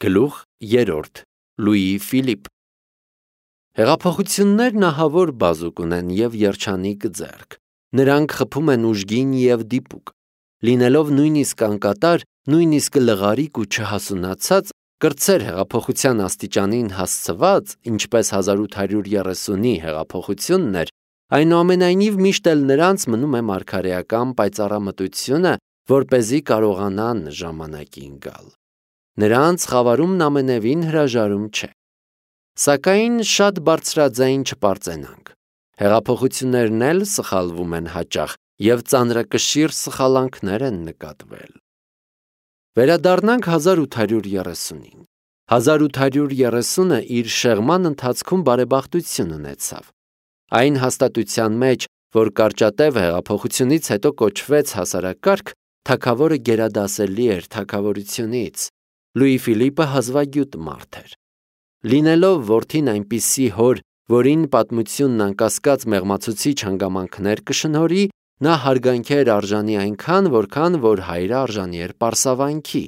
Գլուխ 3 Լուի Ֆիլիպ Հեղափոխություններն ահավոր բազուկ ունեն և երջանիկ ձեռք, նրանք խփում են ուժգին և դիպուկ, լինելով նույնիսկ անկատար, նույնիսկ լղարիկ ու չհասունացած, կրտսեր հեղափոխության աստիճանին հասցված, ինչպես 1830-ի հեղափոխությունն էր, այնուամենայնիվ միշտ էլ նրանց մնում է մարգարեական պայծառամտությունը, որպեսզի կարողանան ժամանակին գալ։ Նրանց խավարումն ամենևին հրաժարում չէ։ Սակայն շատ բարձրաձայն չպարծենանք։ Հեղափոխություններն էլ սխալվում են հաճախ և ծանրակշիռ սխալանքներ են նկատվել։ Վերադառնանք 1830-ին։ 1830-ը իր շեղման ընթացքում բարեբախտություն ունեցավ։ Այն հաստատության մեջ, որ կարճատև հեղափոխությունից հետո կոչվեց հասարակարգ, թագավորը գերադասելի էր թագավորությունից։ Լուի Ֆիլիպը հազվագյուտ մարդ էր։ Լինելով որդին այնպիսի հոր, որին պատմությունն անկասկած մեղմացուցիչ հանգամանքներ կշնորհի, նա հարգանքի էր արժանի այնքան, որքան որ հայրը արժանի էր պարսավանքի։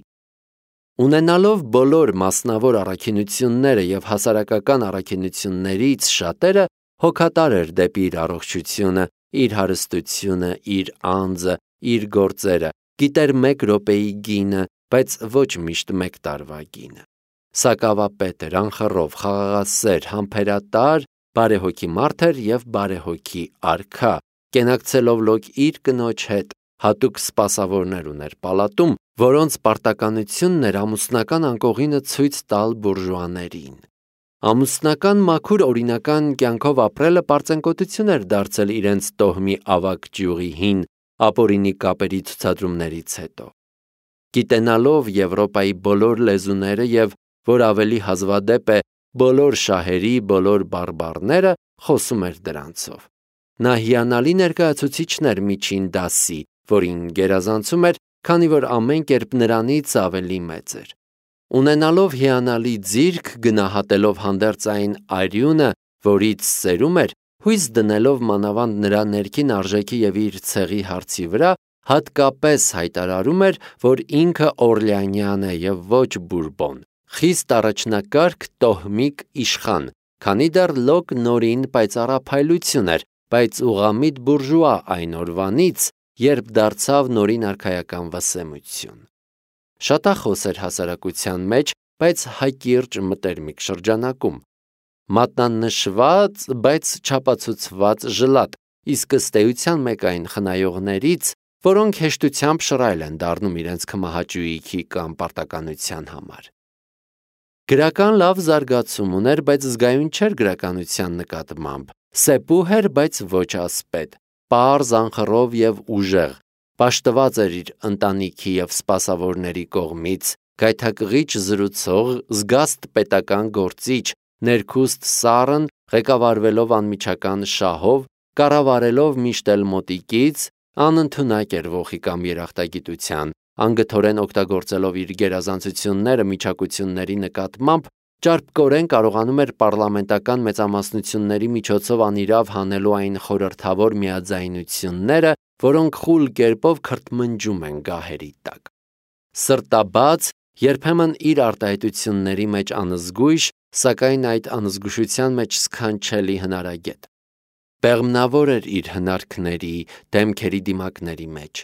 Ունենալով բոլոր մասնավոր առաքինությունները և հասարակական առաքինություններից շատերը, հոգատար էր դեպի իր առողջությունը, իր հարստությունը, իր անձը, իր գործերը, գիտեր մեկ րոպեի գինը, բայց ոչ միշտ մեկ տարվա գինը։ Սակավապետ էր, անխռով, խաղաղասեր, համբերատար, բարեհոգի մարդ էր և բարեհոգի արքա, կենակցելով լոկ իր կնոջ հետ, հատուկ սպասավորներ ուներ պալատում, որոնց պարտականությունն էր ամուսնական անկողինը ցույց տալ բուրժուաներին։ Ամուսնական մաքուր օրինական կյանքով ապրելը պարծենկոտություն էր դարձել իրենց տոհմի ավագ ճյուղի ապօրինի կապերի ցուցադրումներից հետո։ Գիտենալով Եվրոպայի բոլոր լեզուները և, որ ավելի հազվադեպ է, բոլոր շահերի բոլոր բարբառները, խոսում էր դրանցով։ Նա հիանալի ներկայացուցիչն էր միջին դասի, որին գերազանցում էր, քանի որ ամեն կերպ նրանից ավելի մեծ էր։ Ունենալով հիանալի ձիրք, գնահատելով հանդերձ այն արյունը, որից սերում էր, հույս դնելով մանավանդ նրա ներքին արժեքի և իր ցեղի հարցի վրա, հատկապես հայտարարում էր, որ ինքը Օրլեանյան է և ոչ Բուրբոն, խիստ առաջնակարգ տոհմիկ իշխան, քանի դեռ լոկ նորին պայծառափայլություն էր, բայց ուղղամիտ բուրժուա այն օրվանից, երբ դարձավ նորին արքայական վսեմություն։ Շատախոս էր հասարակության մեջ, բայց հակիրճ մտերմիկ շրջանակում։ Մատնանշված, բայց չապացուցված ժլատ, իսկ ըստ էության մեկ այն խնայողներից, որոնք հեշտությամբ շռայլ են դառնում իրենց քմահաճույքի կամ պարտականության համար։ Գրական լավ զարգացում ուներ, բայց զգայուն չէր գրականության նկատմամբ, սեպուհ էր, բայց ոչ ասպետ, պարզ, անխռով և ուժեղ, պաշտված էր իր ընտանիքի և սպասավորների կողմից, գայթակղիչ զրուցող, զգաստ պետական գործիչ, ներքուստ սառն, ղեկավարվելով անմիջական շահով, կառավարելով միշտ էլ մոտիկից, անընդունակ էր ոխի կամ երախտագիտության, անգթորեն օգտագործելով իր գերազանցությունները միջակությունների նկատմամբ, ճարպկորեն կարողանում էր պառլամենտական մեծամասնությունների միջոցով անիրավ հանելու այն խորհրդավոր միաձայնությունները, որոնք խուլ կերպով քրթմնջում են գահերի տակ։ Սրտաբաց, երբեմն իր արտահայտությունների մեջ անզգույշ, սակայն այդ անզգուշության մեջ սքանչելի հնարագետ։ Պեղմնավոր էր իր հնարքների, դեմքերի դիմակների մեջ։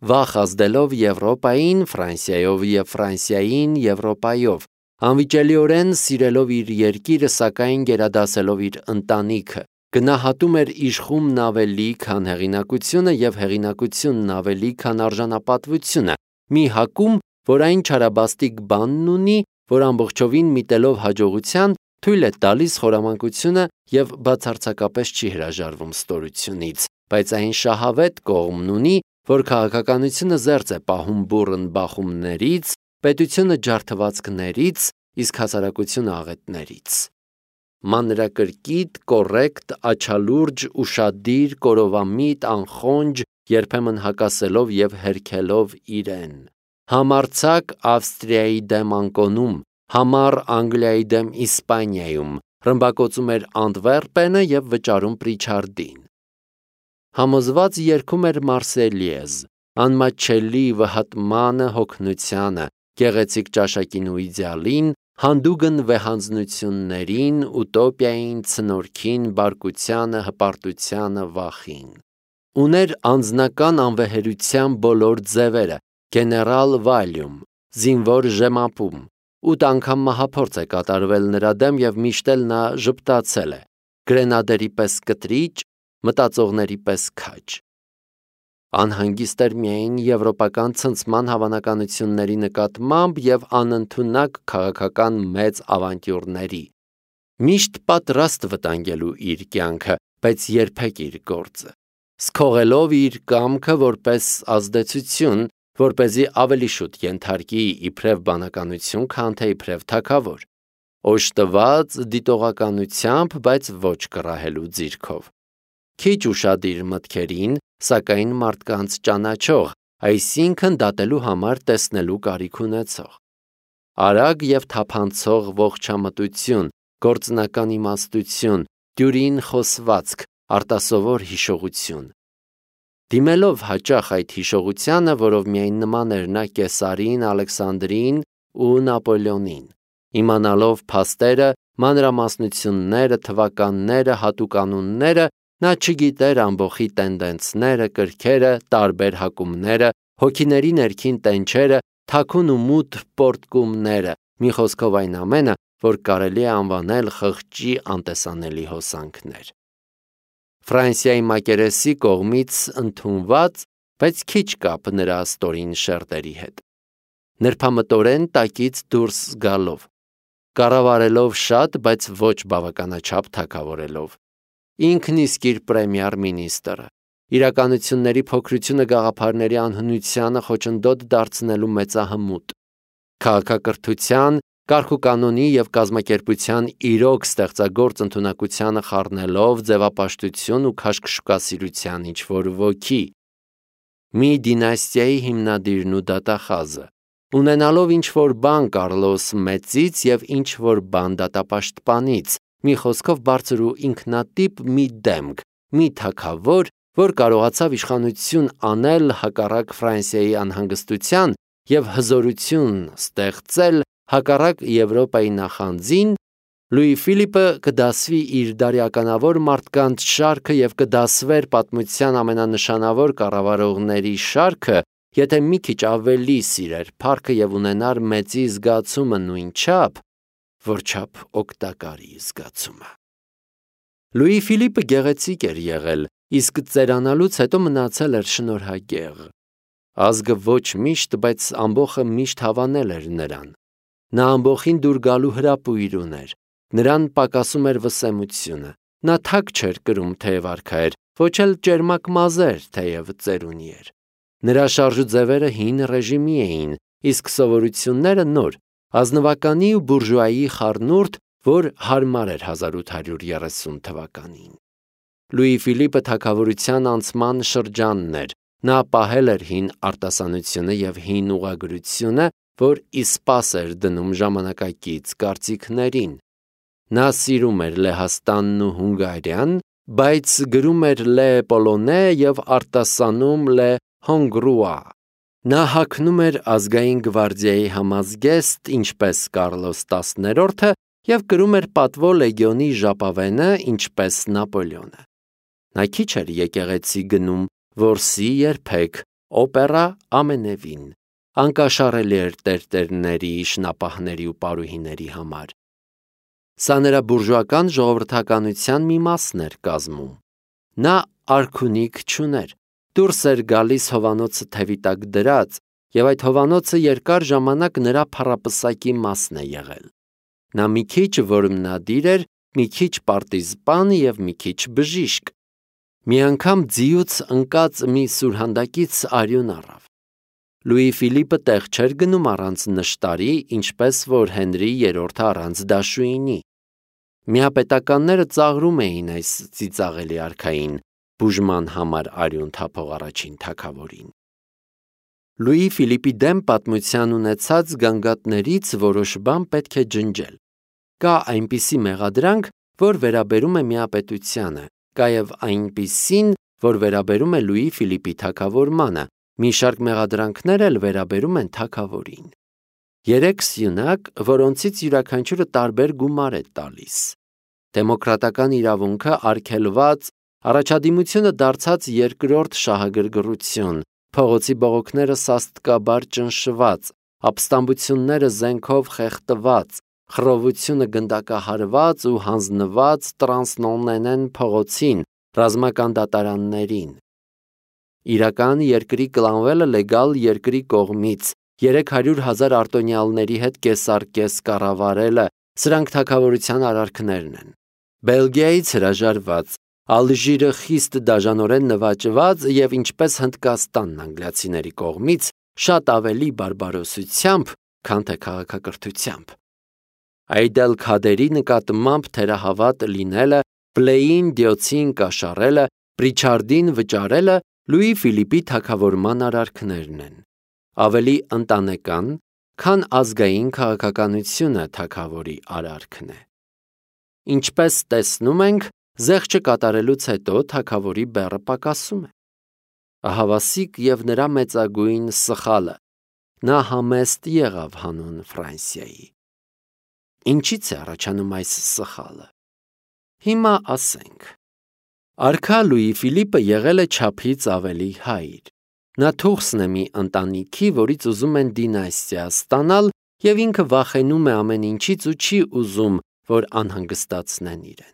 Վախ ազդելով Եվրոպային Ֆրանսիայով և Ֆրանսիային Եվրոպայով, անվիճելիորեն սիրելով իր երկիրը, սակայն գերադասելով իր ընտանիքը, գնահատում էր իշխումն ավելի, քան հեղինակությունը և հեղինակությունն ավելի, քան արժանապատվությունը, մի հակում, որ այն չարաբաստիկ բանն ունի, որ ամբողջովին միտելով հաջողության, թույլ է տալիս խորամանկությունը և բացարձակապես չի հրաժարվում ստորությունից, բայց այն շահավետ կողմն ունի, որ քաղաքականությունը զերծ է պահում բուռն բախումներից, պետությունը ջարդվածքներից, իսկ հասարակությունը աղետներից։ Մանրակրկիտ, կոռեկտ, աչալուրջ, ուշադիր, կորովամիտ, անխոնջ, երբեմն հակասելով և հերքելով իրեն։ Համարձակ Ավստրիայի դեմ անկոնում, համառ Անգլիայի դեմ Իսպանիայում, ռմբակոծում էր Անտվերպենը և վճարում Պրիչարդին։ Համոզված երգում էր Մարսելիեզ, անմատչելի վհատմանը, հոգնությանը, գեղեցիկ ճաշակին ու իդեալին, հանդուգն վեհանձնություններին, ուտոպիային, ցնորքին, բարկությանը, հպարտությանը, վախին։ Ուներ անձնական անվեհերության բոլոր ձևերը, գեներալ Վալյում, զինվոր ժեմապում, 8 անգամ մահափորձ է կատարվել նրա դեմ և միշտ էլ նա ժպտացել է, գրենադերի պես կտրիչ, մտածողների պես քաջ։ Անհանգիստ էր միայն եվրոպական ցնցման հավանականությունների նկատմամբ և անընդունակ քաղաքական մեծ ավանտյուրների։ Միշտ պատրաստ վտանգելու իր կյանքը, բայց երբեք իր գործը, սքողելով իր կամքը որպես ազդեցություն, որպեսզի ավելի շուտ ենթարկի իբրև բանականություն, քան թե իբրև թագավոր, օժտված դիտողականությամբ, բայց ոչ կռահելու ձիրքով, քիչ ուշադիր մտքերին, սակայն մարդկանց ճանաչող, այսինքն դատելու համար տեսնելու կարիք ունեցող, արագ և թափանցող ողջամտություն, գործնական իմաստություն, դյուրին խոսվածք, արտասովոր հիշողություն։ Դիմելով հաճախ այդ հիշողությանը, որով միայն նման էր նա Կեսարին, Ալեքսանդրին ու Նապոլեոնին, իմանալով փաստերը, մանրամասնությունները, թվականները, հատուկանունները, նա չգիտեր ամբոխի տենդենսները, կրքերը, տարբեր հակումները, հոգիների ներքին տենչերը, թաքուն ու մութ պոռթկումները, մի խոսքով այն ամենը, որ կարելի է անվանել խղճի անտեսանելի հոսանքներ։ Ֆրանսիայի մակերեսի կողմից ընդունված, բայց քիչ կապ նրա ստորին շերտերի հետ։ Նրբամտորեն տակից դուրս գալով, կառավարելով շատ, բայց ոչ բավականաչափ թագավորելով, ինքն իսկ իր պրեմիեր մինիստրը, իրականությունների փոքրությունը գաղափարների անհնությանը խոչընդոտ դարձնելու մեծահմուտ, քաղաքակրթության, կարգուկանոնի և կազմակերպության իրոք ստեղծագործ ընդունակությանը խառնելով ձևապաշտություն ու քաշքշուկասիրության ինչ-որ ոգի, մի դինաստիայի հիմնադիրն ու դատախազը, ունենալով ինչ-որ բան Կարլոս Մեծից և ինչ-որ բան դատապաշտպանից, մի խոսքով բարձր ու ինքնատիպ մի դեմք, մի թագավոր, որ կարողացավ իշխանություն անել հակառակ Ֆրանսիայի անհանգստության և հզորություն ստեղծել հակառակ Եվրոպայի նախանձին, Լուի Ֆիլիպը կդասվի իր դարյականավոր մարդկանց շարքը և կդասվեր պատմության ամենանշանավոր կառավարողների շարքը, եթե մի քիչ ավելի սիրեր փառքը և ունենար մեծի զգացումը նույնչափ, որչափ օգտակարի զգացումը։ Լուի Ֆիլիպը գեղեցիկ էր եղել, իսկ ծերանալուց հետո մնացել էր շնորհագեղ։ Ազգը ոչ միշտ, բայց ամբոխը միշտ հավանել էր նրան։ Նա ամբոխին դուր գալու հրապույր ուներ, նրան պակասում էր վսեմությունը, նա թակ չէր կրում, թեև արքա էր, ոչ էլ ճերմակ մազեր, թեև ծերունի էր։ Նրա շարժուձևերը հին ռեժիմի էին, իսկ սովորությունները նոր, ազնվականի ու բուրժուայի խառնուրդ, որ հարմար էր 1830 թվականին։ Լուի Ֆիլիպը թագավորության անցման շրջանն էր, նա պահել էր հին արտասանությունը և հին ուղղագրությունը, որ իսպաս էր դնում ժամանակակից կարծիքներին։ Նա սիրում էր Լեհաստանն ու Հունգարիան, բայց գրում էր Լե Պոլոնե և արտասանում Լե Հոնգրուա։ Նա հագնում էր ազգային գվարդիայի համազգեստ, ինչպես Կարլոս 10-րդը, և կրում էր պատվո լեգիոնի ժապավենը, ինչպես Նապոլեոնը։ Նա քիչ էր եկեղեցի գնում, որսի երբեք, օպերա ամենևին, անկաշառելի էր տերտերների, շնապահների ու պարուհիների համար։ Սա նրա բուրժուական ժողովրդականության մի մասն էր կազմում։ Նա արքունիք չուներ, դուրս էր գալիս հովանոցը թևի տակ դրած, և այդ հովանոցը երկար ժամանակ նրա փառապսակի մասն է եղել։ Նա մի քիչ որմնադիր էր, մի քիչ պարտիզպան և մի քիչ բժիշկ։ Մի անգամ ձիուց ընկած մի սուրհանդակից արյուն առավ։ Լուի Ֆիլիպը տեղ չէր գնում առանց նշտարի, ինչպես որ Հենրի III-ը առանց դաշույնի։ Միապետականները ծաղրում էին այս ծիծաղելի արքային, բուժման համար արյուն թափող առաջին թագավորին։ Լուի Ֆիլիպի դեմ պատմության ունեցած գանգատներից որոշ բան պետք է ջնջել։ Կա այնպիսի մեղադրանք, որ վերաբերում է միապետությանը, կա և այնպիսին, որ վերաբերում է Լուի Ֆիլիպի թագավորմանը, մի շարք մեղադրանքներ էլ վերաբերում են թագավորին։ 3 սյունակ, որոնցից յուրաքանչյուրը տարբեր գումար է տալիս։ Դեմոկրատական իրավունքը արգելված, առաջադիմությունը դարձած երկրորդ շահագրգռություն, փողոցի բողոքները սաստկաբար ճնշված, ապստամբությունները զենքով խեղդված, խռովությունը գնդակահարված ու հանձնված տրանսնոնենեն փողոցին, ռազմական դատարաններին։ Իրական երկրի կլանվելը լեգալ երկրի կողմից, 300,000 արտոնյալների հետ կեսարկես կառավարելը, սրանք թագավորության արարքներն են։ Բելգիայից հրաժարված, Ալժիրը խիստ դաժանորեն նվաճված եւ ինչպես Հնդկաստանն անգլիացիների կողմից շատ ավելի բարբարոսությամբ, քան թե քաղաքակրթությամբ։ Այդ էլ Քադերի նկատմամբ թերահավատ լինելը, Պլեին դյոցին կաշառելը, Պրիչարդին վճարելը Լուի Ֆիլիպի թագավորման արարքներն են։ Ավելի ընտանեկան, քան ազգային քաղաքականությունը թագավորի արարքն է։ Ինչպես տեսնում ենք, զեղչը կատարելուց հետո թագավորի բեռը պակասում է։ Ահավասիկ եւ նրա մեծագույն սխալը։ Նա համեստ եղավ հանուն Ֆրանսիայի։ Ինչից է առաջանում այս սխալը։ Հիմա ասենք։ Արքա Լուի Ֆիլիպը եղել է չափից ավելի հայր։ Նա թուղթն է մի ընտանիքի, որից ուզում են դինաստիա ստանալ, եւ ինքը վախենում է ամեն ինչից ու չի ուզում, որ անհանգստացնեն իրեն։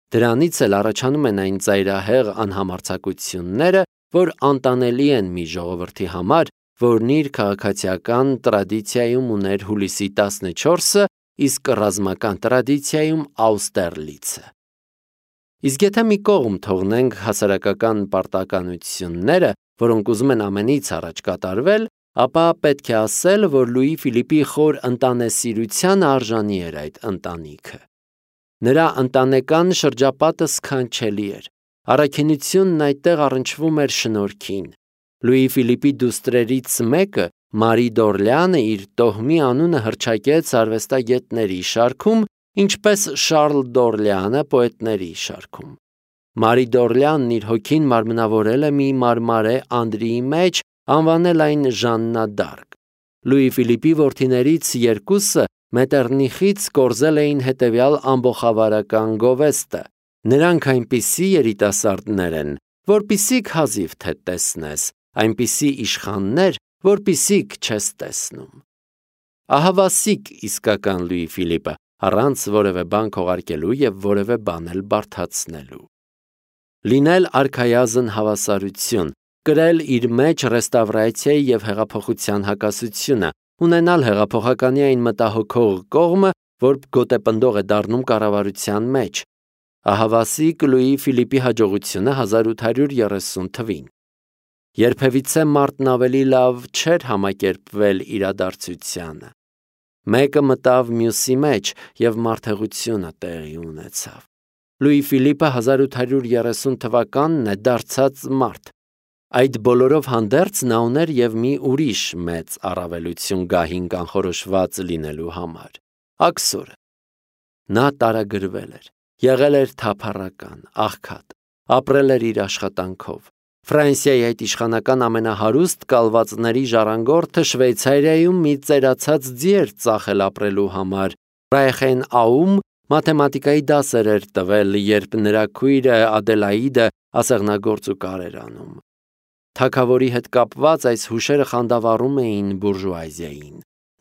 Դրանից էլ առաջանում են այն ծայրահեղ անհամարձակությունները, որ անտանելի են մի ժողովրդի համար, որն իր քաղաքացիական տրադիցիայում ուներ հուլիսի 14-ը, իսկ ռազմական տրադիցիայում Աուստերլիցը։ Իսկ եթե մի կողմ թողնենք հասարակական պարտականությունները, որոնք ուզում են ամենից առաջ կատարվել, ապա պետք է ասել, որ Լուի Ֆիլիպի խոր ընտանեսիրության արժանի էր այդ ընտանիքը։ Նրա ընտանեկան շրջապատը սքանչելի էր։ Առաքինությունն այդտեղ առնչվում էր շնորհքին։ Լուի Ֆիլիպի դուստրերից մեկը, Մարի Դորլեանը, իր տոհմի անունը հռչակեց արվեստագետների շարքում, ինչպես Շարլ Դորլեանը պոետների շարքում։ Մարի Դորլեանն իր հոգին մարմնավորել է մի մարմարե անդրիի մեջ, անվանել այն Ժաննա դ'Արկ։ Լուի Ֆիլիպի որդիներից երկուսը Մետերնիխից կորզել էին հետևյալ ամբոխավարական գովեստը։ Նրանք այնպիսի երիտասարդներ են, որպիսիք հազիվ թե տեսնես, այնպիսի իշխաններ, որպիսիք չես տեսնում։ Ահավասիկ իսկական Լուի Ֆիլիպը, առանց որևէ բան քողարկելու եւ որևէ բան էլ բարդացնելու։ Լինել արքայազն հավասարություն, կրել իր մեջ ռեստավրացիայի եւ հեղափոխության հակասությունը, ունենալ հեղափոխականի այն մտահոգող կողմը, որ գոտեպնդող է դառնում կառավարության մեջ։ Ահավասիկ Լուի Ֆիլիպի հաջողությունը 1830 թվին։ Երբևիցե մարդն ավելի լավ չէր համակերպվել իրադարձությանը։ Մեկը մտավ մյուսի մեջ եւ մարդեղությունը տեղի ունեցավ։ Լուի Ֆիլիպը 1830 թվականն է դարձած մարդ։ Այդ բոլորով հանդերձ նա ուներ եւ մի ուրիշ մեծ առավելություն գահին կանխորոշված լինելու համար։ Աքսորը։ Նա տարագրվել էր, եղել էր թափառական, աղքատ, ապրել էր իր աշխատանքով։ Ֆրանսիայի այդ իշխանական ամենահարուստ կալվածների ժառանգորդը Շվեյցարիայում մի ծերացած ձի էր ծախել ապրելու համար։ Ռայխենաում մաթեմատիկայի դասեր էր տվել, երբ նրա քույրը Ադելաիդը ասեղնագործուկար էր անում։ Թագավորի հետ կապված այս հուշերը խանդավառում էին բուրժուազիային։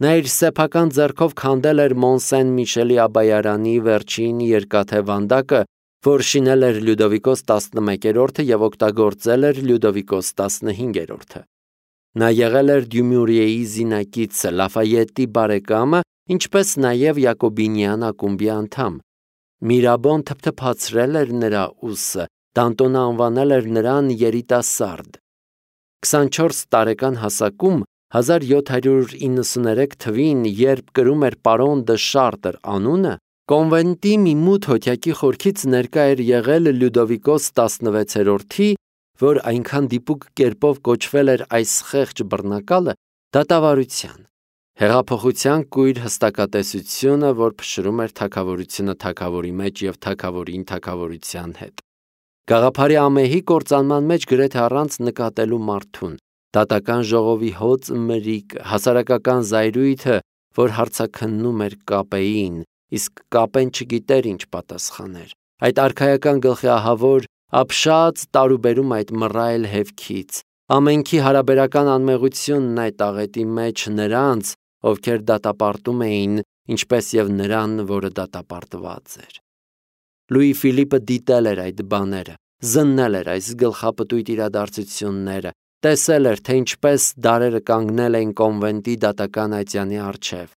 Նա իր սեփական ձեռքով քանդել էր Մոնսեն Միշելի Աբայարանի վերջին երկաթե վանդակը, որ շինել էր Լյուդովիկոս 11-րդը եւ օգտագործել էր Լյուդովիկոս 15-րդը։ Նա եղել էր Դյումուրիեի զինակիցը, Լաֆայետի բարեկամը, ինչպես նաև Յակոբինյան ակումբի անդամ։ Միրաբոն թփթփացրել էր նրա ուսը, Դանտոնը անվանել էր նրան երիտասարդ։ 24 տարեկան հասակում 1793 թվին, երբ կրում էր պարոն դը Շարտր անունը, կոնվենտի մի մութ հոթյակի խորքից ներկա էր եղել Լյուդովիկոս 16-րդի, որ այնքան դիպուկ կերպով կոչվել էր այս խեղճ բռնակալը, դատավարության, հեղափոխության կույր հստակատեսությունը, որ փշրում էր թագավորությունը թագավորի մեջ եւ թագավորին թագավորության հետ։ Գաղափարի ամեհի կործանման մեջ գրեթե առանց նկատելու մարդուն, դատական ժողովի հոծ մրիկ, հասարակական զայրույթը, որ հարցաքննում էր Կապեին, իսկ Կապեն չգիտեր ինչ պատասխաներ։ Այդ արքայական գլխի ահավոր ապշած տարուբերում այդ մռայլ հևքից, ամենքի հարաբերական անմեղությունն այդ աղետի մեջ նրանց, ովքեր դատապարտում էին, ինչպես եւ նրան, որը դատապարտված էր։ Լուի Ֆիլիպը դիտել էր այդ բաները, զննել էր այս գլխապտույտ իրադարձությունները, տեսել էր, թե ինչպես դարերը կանգնել էին կոնվենտի դատական այցյանի առջև։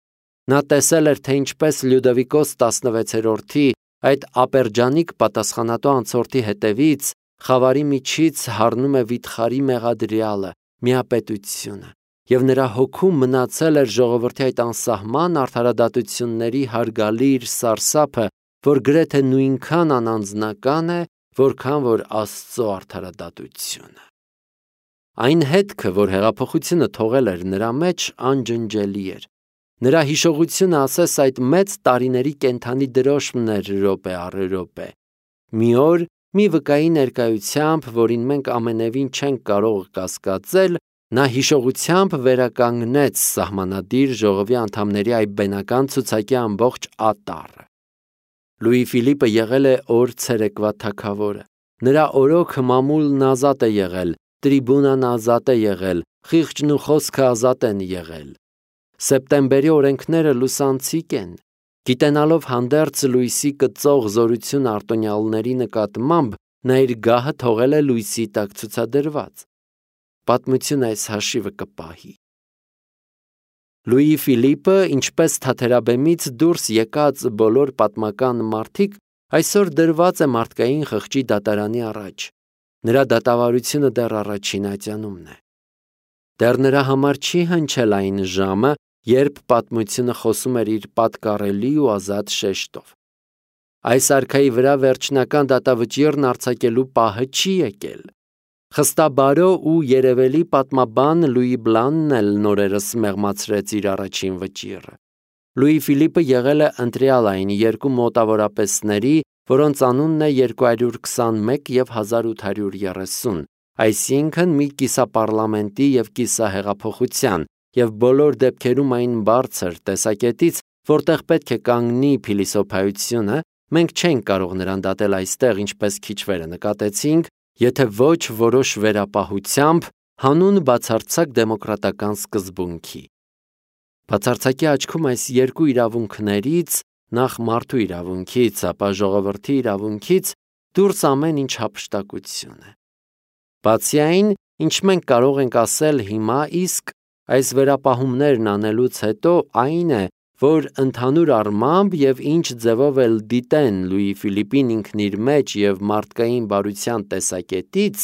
Նա տեսել էր, թե ինչպես Լյուդովիկոս 16-րդի այդ ապերջանիկ պատասխանատու անցորդի հետևից խավարի միջից հառնում է վիթխարի մեղադրյալը, միապետությունը, եւ նրա հոգում մնացել էր ժողովրդի այդ անսահման արդարադատությունների հարգալիր սարսափը, որ գրեթե նույնքան անանձնական է, որքան որ Աստծո արդարադատությունը։ Այն հետքը, որ հեղափոխությունը թողել էր նրա մեջ, անջնջելի էր։ Նրա հիշողությունը ասես այդ մեծ տարիների կենդանի դրոշմն էր րոպե առ րոպե։ Մի օր, մի վկայի ներկայությամբ, որին մենք ամենևին չենք կարող կասկածել, նա հիշողությամբ վերականգնեց սահմանադիր ժողովի անդամների այդ բենական ցուցակի ամբողջ ատառը։ Լուի Ֆիլիպը եղել է օր ցերեկվա թագավորը։ Նրա օրոքը մամուլն ազատ է եղել, տրիբունան ազատ է եղել, խիղճն ու խոսքը ազատ են եղել։ Սեպտեմբերի օրենքները լուսանցիկ են։ Գիտենալով հանդերձ լույսի կծող զորություն արտոնյալների նկատմամբ, նա իր գահը թողել է լույսի տակ ցուցադրված։ Պատմությունը այս հաշիվը կպահի։ Լուի Ֆիլիպը, ինչպես թաթերաբեմից դուրս եկած բոլոր պատմական մարդիկ, այսօր դրված է մարդկային խղճի դատարանի առաջ։ Նրա դատավարությունը դեռ առաջին ատյանումն է։ Դեռ նրա համար չի հնչել այն ժամը, երբ պատմությունը խոսում էր իր պատկառելի ու ազատ շեշտով։ Այս արքայի վրա վերջնական դատավճիռն արձակելու պահը չի եկել։ Խստաբարո ու երևելի պատմաբան Լուի Բլանն էլ նորերս մեղմացրեց իր առաջին վճիռը։ Լուի Ֆիլիպը եղել է ընտրյալ այն երկու մոտավորապեսների, որոնց անունն է 221 և 1830, այսինքն մի կիսապառլամենտի և կիսահեղափոխության, և բոլոր դեպքերում այն բարձր տեսակետից, որտեղ պետք է կանգնի փիլիսոփայությունը, մենք չենք կարող նրան դատել այստեղ, ինչպես քիչ վերը նկատեցինք, եթե ոչ որոշ վերապահությամբ հանուն բացարձակ դեմոկրատական սկզբունքի։ Բացարձակի աչքում այս երկու իրավունքներից, նախ մարդու իրավունքից, ապա ժողովրդի իրավունքից, դուրս ամեն ինչ հափշտակություն է։ Բացի այն, ինչ մենք կարող ենք ասել հիմա, իսկ այս վերապահումներն անելուց հետո, այն է, որ ընդհանուր առմամբ և ինչ ձևով էլ դիտեն Լուի Ֆիլիպին ինքն իր մեջ և մարդկային բարության տեսակետից,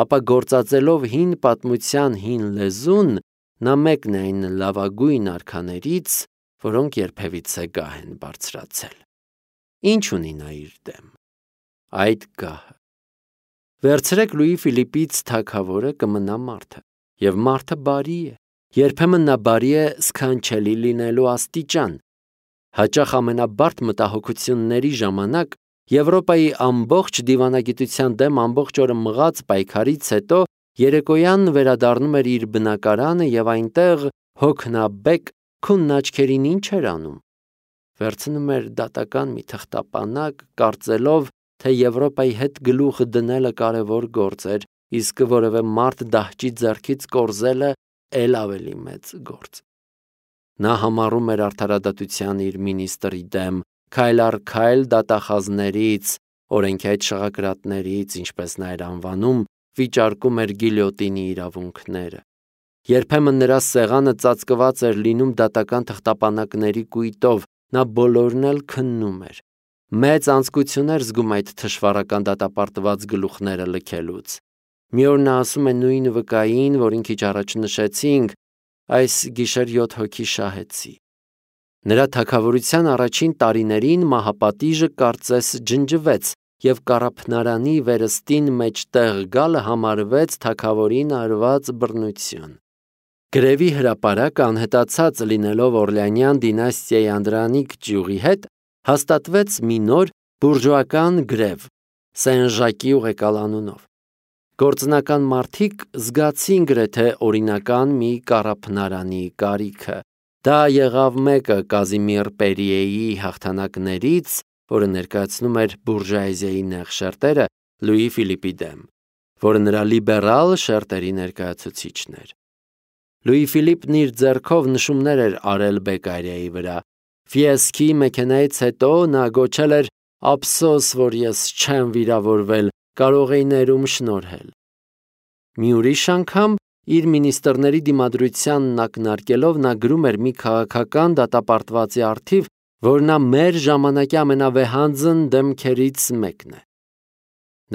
ապա գործածելով հին պատմության հին լեզուն, նա մեկն է այն լավագույն արքաներից, որոնք երբևիցե գահ են բարձրացել։ Ինչ ունի նա իր դեմ։ Այդ գահը։ Վերցրեք Լուի Ֆիլիպից թագավորը կմնա մարդը, և մարդը բարի է։ Երբեմն նա բարի է սքանչելի լինելու աստիճան։ Հաճախ ամենաբարդ մտահոգությունների ժամանակ Եվրոպայի ամբողջ դիվանագիտության դեմ ամբողջ օրը մղած պայքարից հետո երեկոյան վերադառնում էր իր բնակարանը և այնտեղ հոգնաբեկ քունն աչքերին ինչ էր անում։ Վերցնում էր դատական մի թղթապանակ, կարծելով, թե Եվրոպայի հետ գլուխ դնելը կարևոր գործ էր, իսկ որևէ մարդ դահճի ձեռքից կորզելը էլ ավելի մեծ գործ։ Նա համառում էր արդարադատության իր մինիստրի դեմ, քայլ առ քայլ դատախազներից, օրենքի այդ շղագրատներից, ինչպես նա էր անվանում, վիճարկում էր գիլյոտինի իրավունքները։ Երբեմն նրա սեղանը ծածկված էր լինում դատական թղթապանակների կույտով, նա բոլորն էլ քննում էր։ Մեծ անձկություն էր զգում այդ թշվառական դատապարտված գլուխները լքելուց։ Մի օր նա ասում է նույն վկային, որին քիչ առաջ նշեցինք, այս գիշեր 7 հոգի շահեցի։ Նրա թագավորության առաջին տարիներին մահապատիժը կարծես ջնջվեց, և կառափնարանի վերստին մեջտեղ գալը համարվեց թագավորին արված բռնություն։ Գրևի հրապարակը անհետացած լինելով Օրլեանյան դինաստիայի անդրանիկ ճյուղի հետ, հաստատվեց մի նոր բուրժուական գրև Սեն-Ժակի ուղեկալ անունով։ Գործնական մարդիկ զգացին գրեթե օրինական մի կառափնարանի կարիքը, Դա եղավ մեկը Կազիմիր Պերիեի հաղթանակներից, որը ներկայացնում էր բուրժուազիայի նեղ շերտերը Լուի Ֆիլիպի դեմ, որը նրա լիբերալ շերտերի ներկայացուցիչն էր։ Լուի Ֆիլիպն իր ձեռքով նշումներ էր արել Բեկկարիայի վրա։ Ֆիեսկի մեքենայից հետո նա գոչել էր. «Ափսոս, որ ես չեմ վիրավորվել, կարող էի ներում շնորհել»։ Մի ուրիշ անգամ իր մինիստրների դիմադրությանն ակնարկելով նա գրում էր մի քաղաքական դատապարտվածի առթիվ, որ նա մեր ժամանակի ամենավեհանձն դեմքերից մեկն է։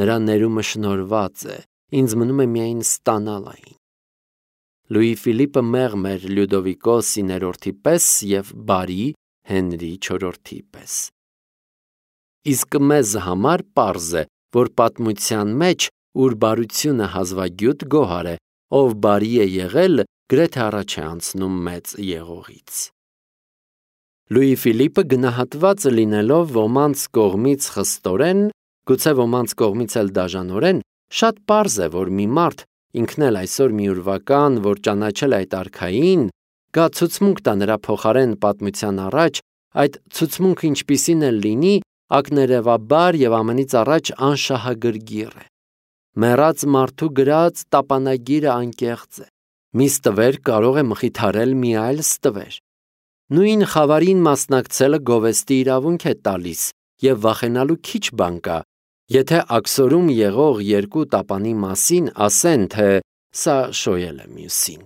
Նրա ներումը շնորհված է, ինձ մնում է միայն ստանալ այն։ Լուի Ֆիլիպը մեղմ էր Լյուդովիկոս 9-րդի պես և բարի Հենրի 4-րդի պես։ Իսկ մեզ համար պարզ է, որ պատմության մեջ, ուր բարությունը հազվագյուտ գոհար է, ով բարի է եղել, գրեթե առաջ է անցնում մեծ եղողից։ Լուի Ֆիլիպը գնահատված լինելով ոմանց կողմից խստորեն, գուցե ոմանց կողմից էլ դաժանորեն, շատ պարզ է, որ մի մարդ, ինքն էլ այսօր մի ուրվական, որ ճանաչել է այդ արքային, գա ցուցմունք տա նրա փոխարեն պատմության առաջ, այդ ցուցմունքը ինչպիսին էլ լինի, ակներևաբար և ամենից առաջ անշահագրգիռ է։ Մեռած մարդու գրած տապանագիրը անկեղծ է։ Մի ստվեր կարող է մխիթարել մի այլ ստվեր։ Նույն խավարին մասնակցելը գովեստի իրավունք է տալիս, և վախենալու քիչ բան կա, եթե աքսորում եղող երկու տապանի մասին ասեն, թե սա շոյել է մյուսին։